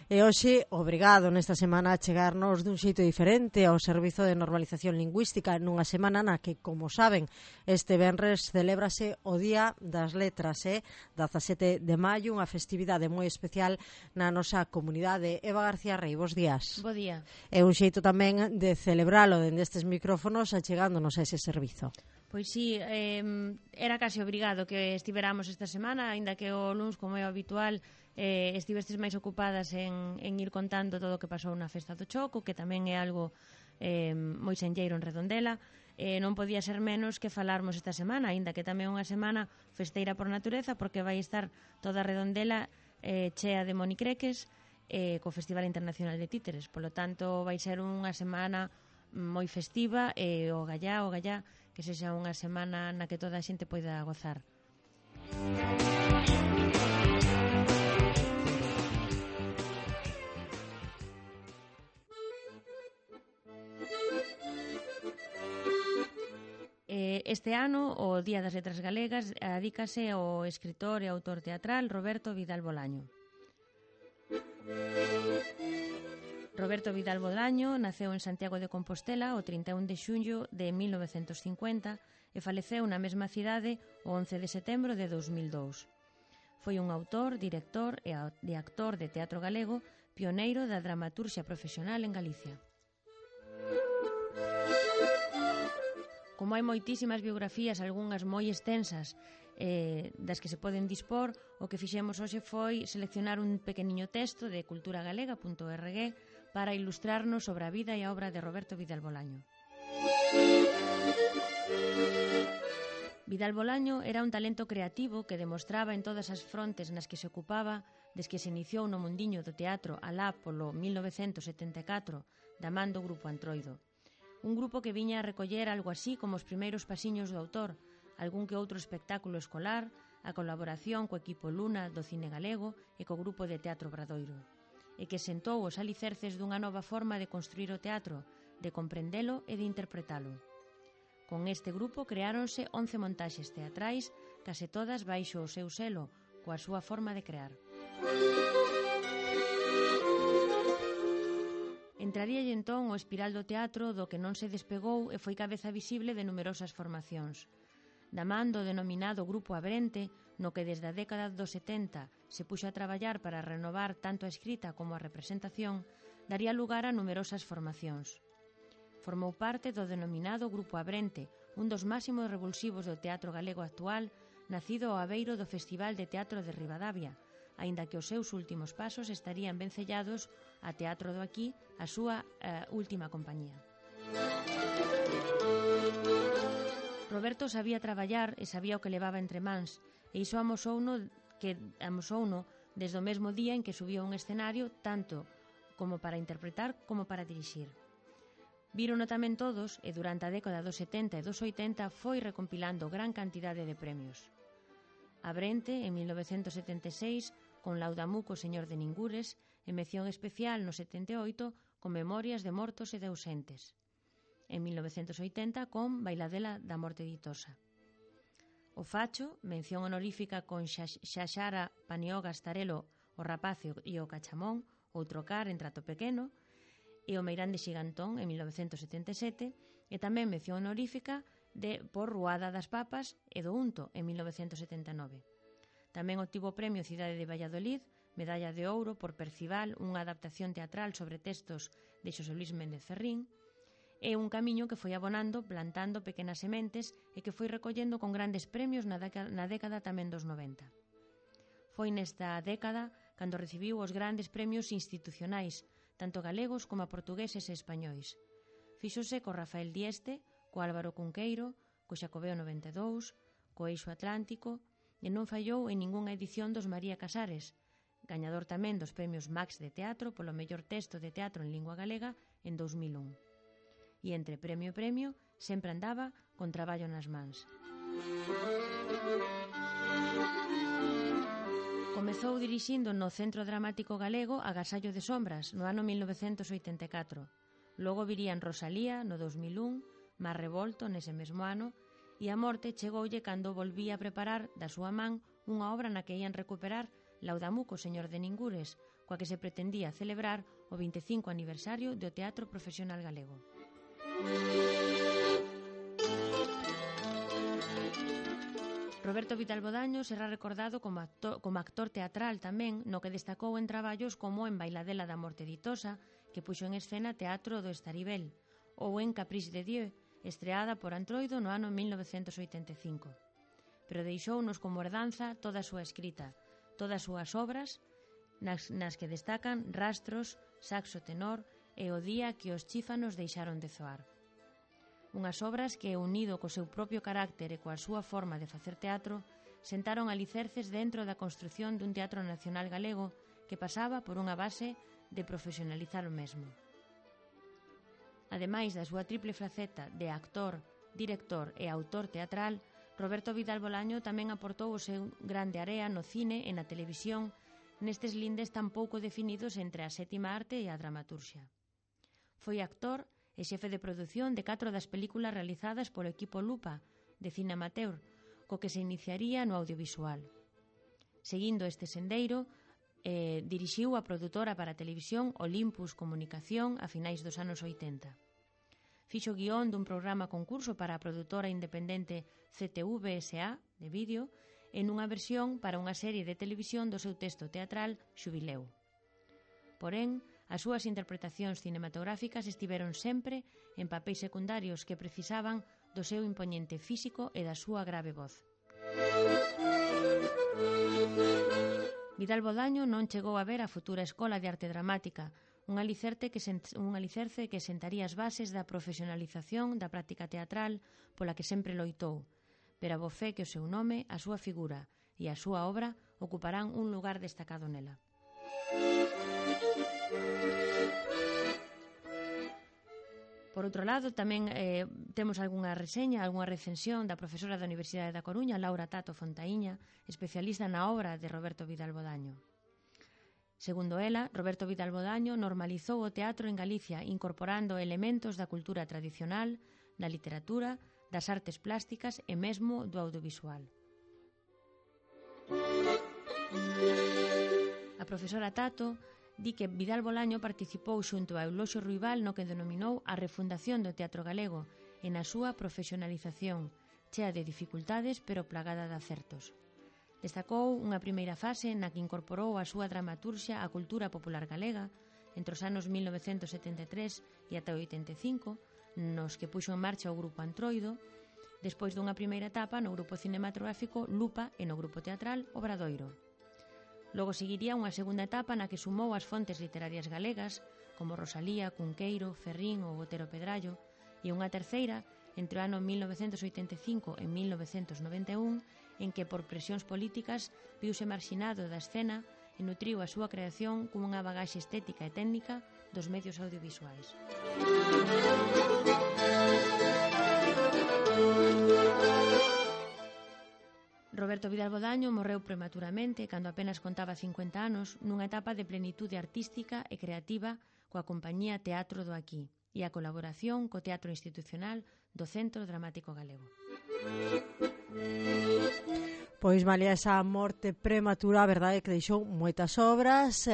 E hoxe, obrigado nesta semana a chegarnos dun xeito diferente ao Servizo de Normalización Lingüística nunha semana na que, como saben, este venres celébrase o Día das Letras, 17 de maio, unha festividade moi especial na nosa comunidade. Eva García Rei, bos días. Bo día. É un xeito tamén de celebralo dende estes micrófonos achegándonos a ese servizo. Pois sí, era case obrigado que estiveramos esta semana, aínda que o luns, como é habitual, estivestes máis ocupadas en ir contando todo o que pasou na festa do Choco, que tamén é algo moi senlleiro en Redondela. Non podía ser menos que falarmos esta semana, aínda que tamén é unha semana festeira por natureza, porque vai estar toda Redondela chea de monicreques co Festival Internacional de Títeres. Polo tanto, vai ser unha semana moi festiva e o gallá, que sexa unha semana na que toda a xente poida gozar. Este ano, o Día das Letras Galegas, adícase ao escritor e autor teatral Roberto Vidal Bolaño. Roberto Vidal Bolaño naceu en Santiago de Compostela o 31 de xullo de 1950 e faleceu na mesma cidade o 11 de setembro de 2002. Foi un autor, director e actor de teatro galego, pioneiro da dramaturxia profesional en Galicia. Como hai moitísimas biografías, algunhas moi extensas, das que se poden dispor, o que fixemos hoxe foi seleccionar un pequeniño texto de culturagalega.org para ilustrarnos sobre a vida e a obra de Roberto Vidal Bolaño. Vidal Bolaño era un talento creativo que demostraba en todas as frontes nas que se ocupaba desde que se iniciou no mundiño do teatro alá polo 1974 da man do Grupo Antroido. Un grupo que viña a recoller algo así como os primeiros pasiños do autor, algún que outro espectáculo escolar, a colaboración co equipo Luna do cine galego e co grupo de teatro Bradoiro, e que sentou os alicerces dunha nova forma de construir o teatro, de comprendelo e de interpretalo. Con este grupo creáronse 11 montaxes teatrais, case todas baixo o seu selo, coa súa forma de crear. Entraríalle entón o espiral do teatro do que non se despegou e foi cabeza visible de numerosas formacións. Da man do denominado Grupo Abrente, no que desde a década dos 70 se puxo a traballar para renovar tanto a escrita como a representación, daría lugar a numerosas formacións. Formou parte do denominado Grupo Abrente, un dos máximos revulsivos do teatro galego actual, nacido ao abeiro do Festival de Teatro de Ribadavia, aínda que os seus últimos pasos estarían vencellados a Teatro do Aquí, a súa última compañía. Roberto sabía traballar e sabía o que levaba entre mans, e iso amosouno desde o mesmo día en que subiu a un escenario tanto como para interpretar como para dirixir. Vírono tamén todos e durante a década dos 70 e dos 80 foi recompilando gran cantidade de premios. Abrente, en 1976, con Laudamuco Señor de Ningures, e mención especial no 78 con Memorias de Mortos e de Ausentes. En 1980 con Bailadela da Morte Ditosa. O Facho, mención honorífica con Xaxara Panioga Starelo, O Rapacio e o Cachamón, Outro Car en Trato Pequeno, e o Meirán de Xigantón en 1977, e tamén mención honorífica por Ruada das Papas e do Unto en 1979. Tamén obtivo o premio Cidade de Valladolid, medalla de ouro por Percival, unha adaptación teatral sobre textos de Xosé Luis Méndez Ferrín, é un camiño que foi abonando, plantando pequenas sementes e que foi recollendo con grandes premios na década tamén dos 90. Foi nesta década cando recibiu os grandes premios institucionais, tanto galegos como portugueses e españois. Fíxose co Rafael Dieste, co Álvaro Cunqueiro, co Xacobeo 92, co Eixo Atlántico, e non fallou en ningunha edición dos María Casares, gañador tamén dos premios Max de Teatro polo mellor texto de teatro en lingua galega en 2001. E entre premio e premio sempre andaba con traballo nas mans. Comezou dirixindo no Centro Dramático Galego Agasallo de Sombras no ano 1984. Logo virían Rosalía no 2001, Mar Revolto nese mesmo ano, e a morte chegoulle cando volvía a preparar da súa man unha obra na que ían recuperar Laudamuco, señor de Ningures, coa que se pretendía celebrar o 25 aniversario do teatro profesional galego. Roberto Vidal Bodaño será recordado como actor teatral tamén, no que destacou en traballos como en Bailadela da Morte Ditosa, que puxo en escena Teatro do Estaribel, ou en Caprice de Dieu, estreada por Antroido no ano 1985. Pero deixounos como herdanza toda a súa escrita, todas as súas obras, nas que destacan Rastros, Saxo Tenor e O día que os chífanos deixaron de zoar. Unhas obras que, unido co seu propio carácter e coa súa forma de facer teatro, sentaron alicerces dentro da construción dun teatro nacional galego que pasaba por unha base de profesionalizar o mesmo. Ademais da súa triple faceta de actor, director e autor teatral, Roberto Vidal Bodaño tamén aportou o seu grande area no cine e na televisión nestes lindes tan pouco definidos entre a sétima arte e a dramaturxia. Foi actor e xefe de produción de 4 das películas realizadas polo equipo Lupa, de cine amateur, co que se iniciaría no audiovisual. Seguindo este sendeiro, dirixiu a produtora para a televisión Olympus Comunicación a finais dos anos 80. Fixo guión dun programa concurso para a produtora independente CTV S.A. de vídeo e nunha versión para unha serie de televisión do seu texto teatral Xubileu. Porén, as súas interpretacións cinematográficas estiveron sempre en papéis secundarios que precisaban do seu impoñente físico e da súa grave voz. Vidal Bodaño non chegou a ver a futura Escola de Arte Dramática, un alicerce que sentaría as bases da profesionalización da práctica teatral pola que sempre loitou, pero abofé que o seu nome, a súa figura e a súa obra ocuparán un lugar destacado nela. Por outro lado, tamén temos algunha reseña, algunha recensión da profesora da Universidade da Coruña, Laura Tato Fontaíña, especialista na obra de Roberto Vidal Bodaño. Segundo ela, Roberto Vidal Bodaño normalizou o teatro en Galicia incorporando elementos da cultura tradicional, da literatura, das artes plásticas e mesmo do audiovisual. A profesora Tato di que Vidal Bodaño participou xunto a Euloxio Ruibal no que denominou a refundación do teatro galego e na súa profesionalización, chea de dificultades pero plagada de acertos. Destacou unha primeira fase na que incorporou a súa dramaturxia á cultura popular galega entre os anos 1973 e ata 85, nos que puxo en marcha o grupo Antroido, despois dunha primeira etapa no grupo cinematográfico Lupa e no grupo teatral Obradoiro. Logo seguiría unha segunda etapa na que sumou as fontes literarias galegas, como Rosalía, Cunqueiro, Ferrín ou Otero Pedrallo, e unha terceira, entre o ano 1985 e 1991, en que por presións políticas viuse marxinado da escena e nutriu a súa creación cunha bagaxe estética e técnica dos medios audiovisuais. Roberto Vidal Bodaño morreu prematuramente cando apenas contaba 50 anos nunha etapa de plenitude artística e creativa coa compañía Teatro do Aquí e a colaboración co Teatro Institucional do Centro Dramático Galego. Pois malia esa morte prematura, a verdade é que deixou moitas obras,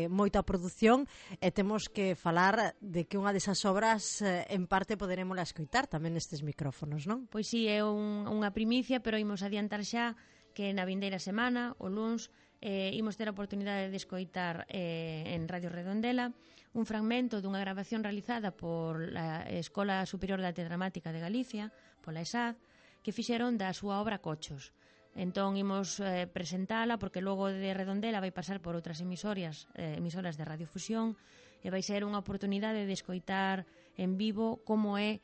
moita produción, e temos que falar de que unha desas obras en parte poderemosla escoitar tamén nestes micrófonos, non? Pois si, é unha primicia, pero imos adiantar xa que na vindeira semana, o luns, imos ter a oportunidade de escoitar en Radio Redondela un fragmento dunha grabación realizada por a Escola Superior de Arte Dramática de Galicia, pola ESAD, que fixeron da súa obra Cochos. Entón imos presentala porque logo de Redondela vai pasar por outras emisoras de radiofusión e vai ser unha oportunidade de escoitar en vivo como é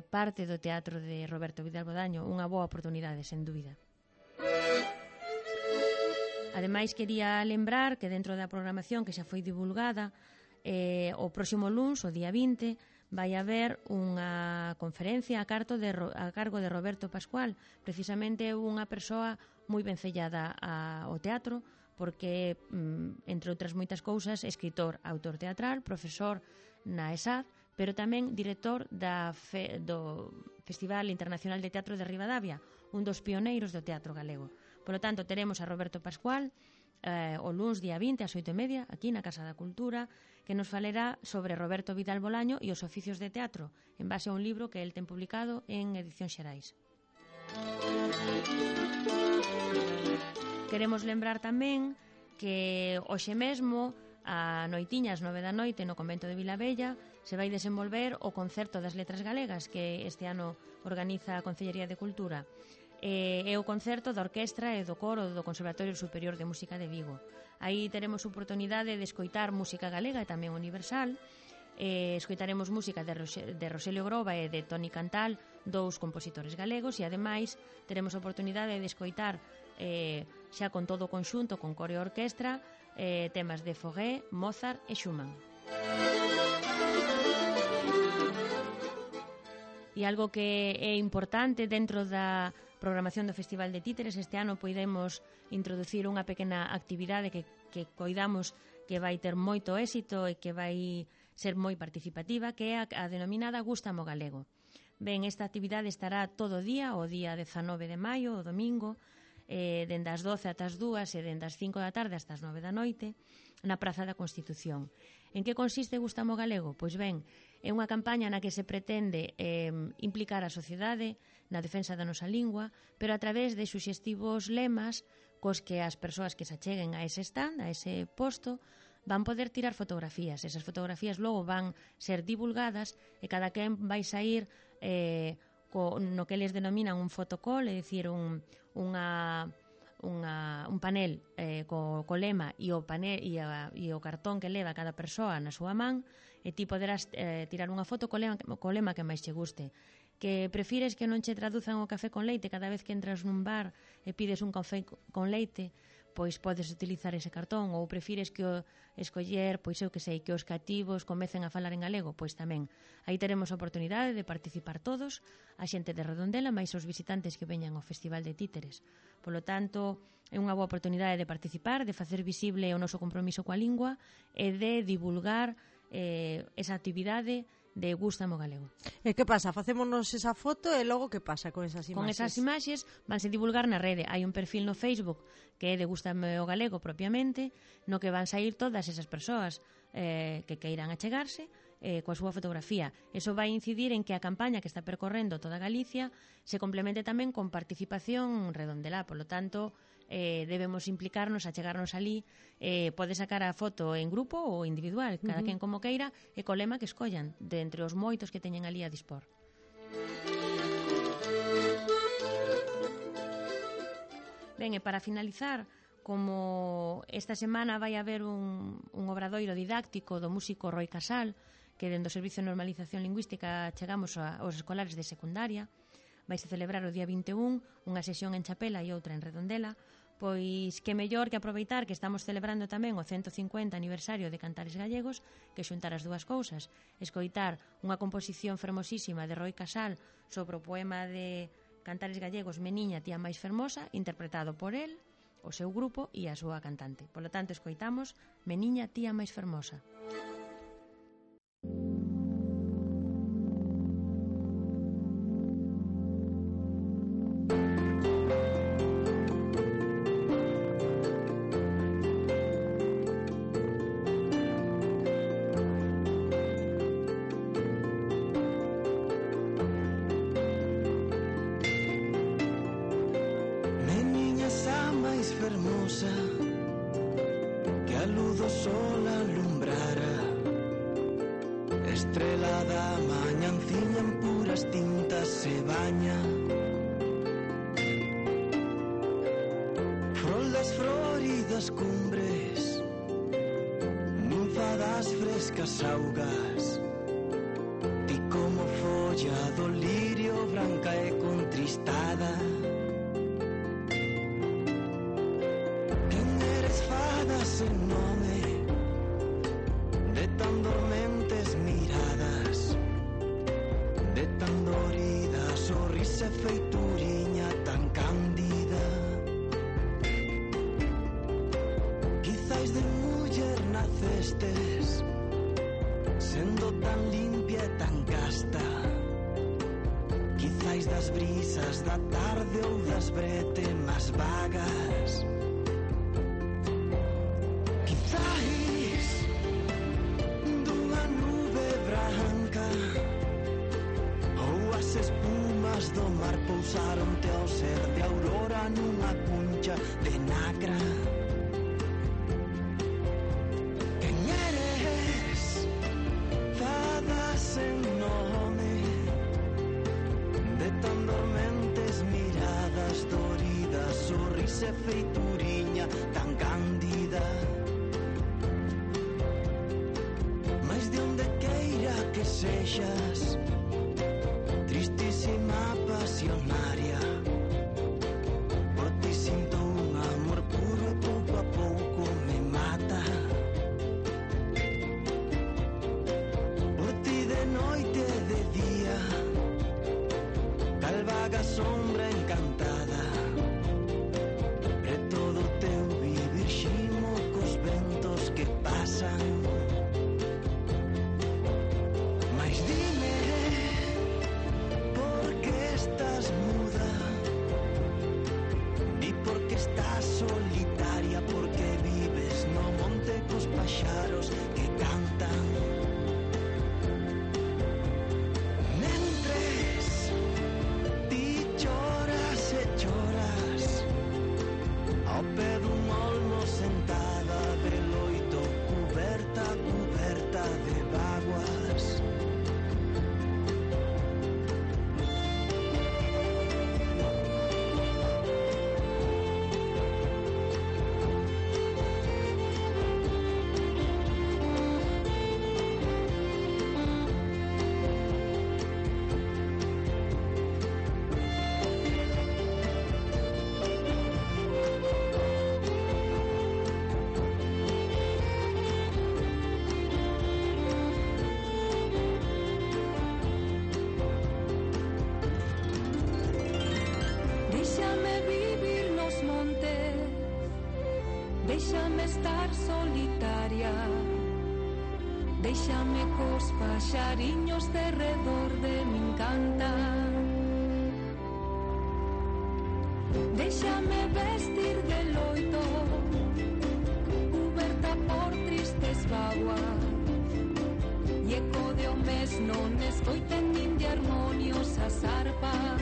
parte do teatro de Roberto Vidal Bodaño, unha boa oportunidade, sen dúbida. Ademais, quería lembrar que dentro da programación que xa foi divulgada, o próximo luns, o día 20, vai haber unha conferencia a cargo de Roberto Pascual, precisamente unha persoa moi vencellada ao teatro, porque, entre outras moitas cousas, escritor, autor teatral, profesor na ESAD, pero tamén director do Festival Internacional de Teatro de Ribadavia, un dos pioneiros do teatro galego. Por lo tanto, teremos a Roberto Pascual o luns día 20 ás 8:30 aquí na Casa da Cultura, que nos falará sobre Roberto Vidal Bolaño e os oficios de teatro, en base a un libro que el ten publicado en Edicións Xerais. Queremos lembrar tamén que hoxe mesmo a noitiña ás 9 da noite no convento de Vilabella se vai desenvolver o Concerto das Letras Galegas que este ano organiza a Concellería de Cultura. É o concerto da orquestra e do coro do Conservatorio Superior de Música de Vigo. Aí teremos oportunidade de escoitar música galega e tamén universal. Escoitaremos música de Roselio Groba e de Toni Cantal, dous compositores galegos, e ademais teremos oportunidade de escoitar xa con todo o conxunto, con coro e orquestra, temas de Fauré, Mozart e Schumann. E algo que é importante dentro da programación do Festival de Títeres, este ano poidemos introducir unha pequena actividade que coidamos que vai ter moito éxito e que vai ser moi participativa, que é a denominada Gústamo Galego. Ben, esta actividade estará todo o día 19 de maio, o domingo, dende as 12 ata as 2 e dende as 5 da tarde hasta as 9 da noite, na Praza da Constitución. En que consiste Gústamo Galego? Pois ben, é unha campaña na que se pretende implicar a sociedade na defensa da nosa lingua, pero a través de suxestivos lemas cos que as persoas que se acheguen a ese stand, a ese posto, van poder tirar fotografías. Esas fotografías logo van ser divulgadas e cada quen vai sair no que eles denominan un fotocall, é dicir, un panel co lema e o cartón que leva cada persoa na súa man, e ti poderás tirar unha foto co lema que máis che guste. Que prefires que non che traduzan o café con leite cada vez que entras nun bar e pides un café con leite, pois podes utilizar ese cartón, ou prefires que escoller, pois eu que sei, que os cativos comecen a falar en galego, pois tamén. Aí teremos a oportunidade de participar todos, a xente de Redondela, máis os visitantes que veñan ao Festival de Títeres. Por lo tanto, é unha boa oportunidade de participar, de facer visible o noso compromiso coa lingua e de divulgar esa actividade de Gústamo Galego. E que pasa? Facémonos esa foto e logo que pasa con esas imaxes? Con esas imaxes vanse divulgar na rede. Hai un perfil no Facebook que é de Gústamo Galego propiamente, no que van sair todas esas persoas que queiran achegarse coa súa fotografía. Eso vai incidir en que a campaña que está percorrendo toda Galicia se complemente tamén con participación redondelá. Por lo tanto, debemos implicarnos, achegarnos ali. Pode sacar a foto en grupo ou individual, cada quen como queira, e co lema que escollan de entre os moitos que teñen ali a dispor. Ben, e para finalizar, como esta semana vai haber un obradoiro didáctico do músico Roi Casal, que dentro do Servicio de Normalización Lingüística chegamos aos escolares de secundaria, vaise celebrar o día 21 unha sesión en Chapela e outra en Redondela, pois que mellor que aproveitar que estamos celebrando tamén o 150 aniversario de Cantares Gallegos, que xuntar as dúas cousas, escoitar unha composición fermosísima de Roi Casal sobre o poema de Cantares Gallegos Meniña, tía máis fermosa, interpretado por el, o seu grupo e a súa cantante. Por lo tanto, escoitamos Meniña, tía máis fermosa. Que a luz do sol alumbrara, estrela da mañanciña en puras tintas se baña, frol das floridas cumbres, ninfa das frescas augas, ti como folla do lirio branca e contristada. Sen nome de tan dormentes miradas, de tan dorida sorrisa e feituriña tan cándida. Quizais de muller nacestes, sendo tan limpia e tan casta. Quizás sais das brisas da tarde ou das bretemas vagas. Quizais dunha nube branca ou as espumas do mar pousaronte ao ser de aurora nunha cuncha de nacra. Quen eres? Fada sen nome, de tan dormentes miradas doridas, sorrise feituriña tan cándida. Mais de onde queira que sexas, tristísima pasionaria, por ti sinto un amor puro e pouco a pouco me mata. Por ti de noite e de día, cal vaga sombra encantada, e todo o teu vivir ximo cos ventos que pasan. Mas dime, por que estás muda? Di por que estás solitaria, porque vives no monte cos paxaros que cantan. Mentres ti choras e choras, ao pé dun olmo sentada de loito, cuberta, cuberta de vaguas. Déxame vivir nos montes, déxame estar solitaria, déxame cos paxariños de redor de min cantan. Déxame vestir de loito, cuberta por tristes vaguas, e eco de o mes non escoiten nin de armonios as arpas.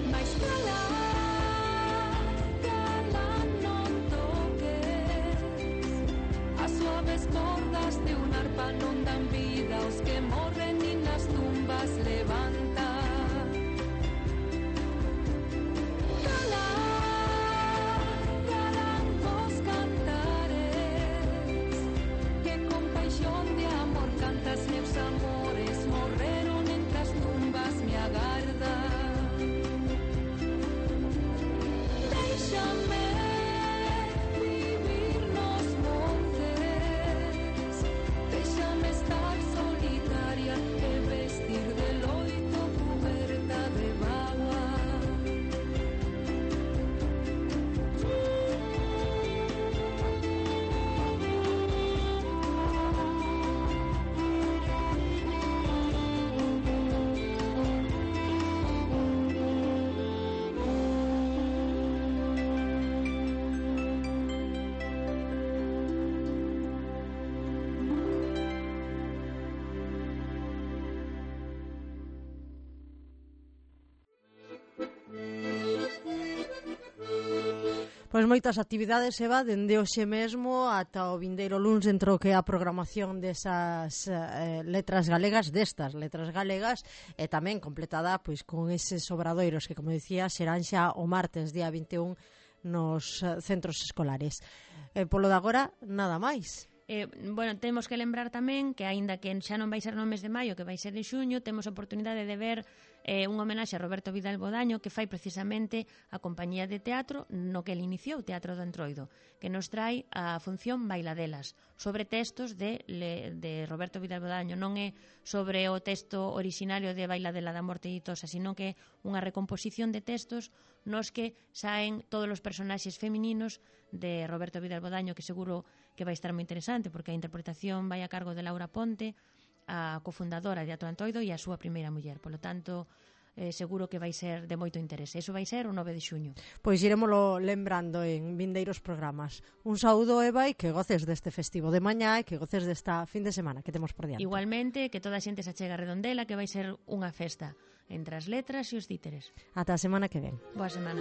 Mais cala, cala, non toques, as suaves cordas de un arpa non dan vida aos que morren nin nas tumbas levanta. Cala, calan vos cantares, que con paixón de amor cantas meus amores, morreron entre as tumbas me agardan. Déxame vivir nos montes, déxame estar solitaria e vestir de loito cuberta de vaguas. Pois moitas actividades se va dende hoxe mesmo ata o vindeiro luns dentro que a programación desas letras galegas, destas letras galegas, e tamén completada pois con eses obradoiros que, como dicía, serán xa o martes día 21 nos centros escolares. Polo de agora, nada máis. Bueno, temos que lembrar tamén que aínda que xa non vai ser no mes de maio, que vai ser en xuño, temos a oportunidade de ver un homenaxe a Roberto Vidal Bodaño que fai precisamente a compañía de teatro no que ele iniciou, Teatro do Entroido, que nos trai a función Bailadelas sobre textos de Roberto Vidal Bodaño. Non é sobre o texto originario de Bailadela da Morte Ditosa, sino que é unha recomposición de textos nos que saen todos os personaxes femininos de Roberto Vidal Bodaño, que seguro que vai estar moi interesante porque a interpretación vai a cargo de Laura Ponte, a cofundadora de Atlantoido e a súa primeira muller. Polo tanto, seguro que vai ser de moito interese. Eso vai ser o 9 de xuño. Pois irémolo lembrando en vindeiros programas. Un saúdo, Eva, e que goces deste festivo de mañá e que goces desta fin de semana que temos por diante. Igualmente, que toda a xente se achega a Redondela, que vai ser unha festa entre as letras e os títeres. Ata a semana que ven. Boa semana.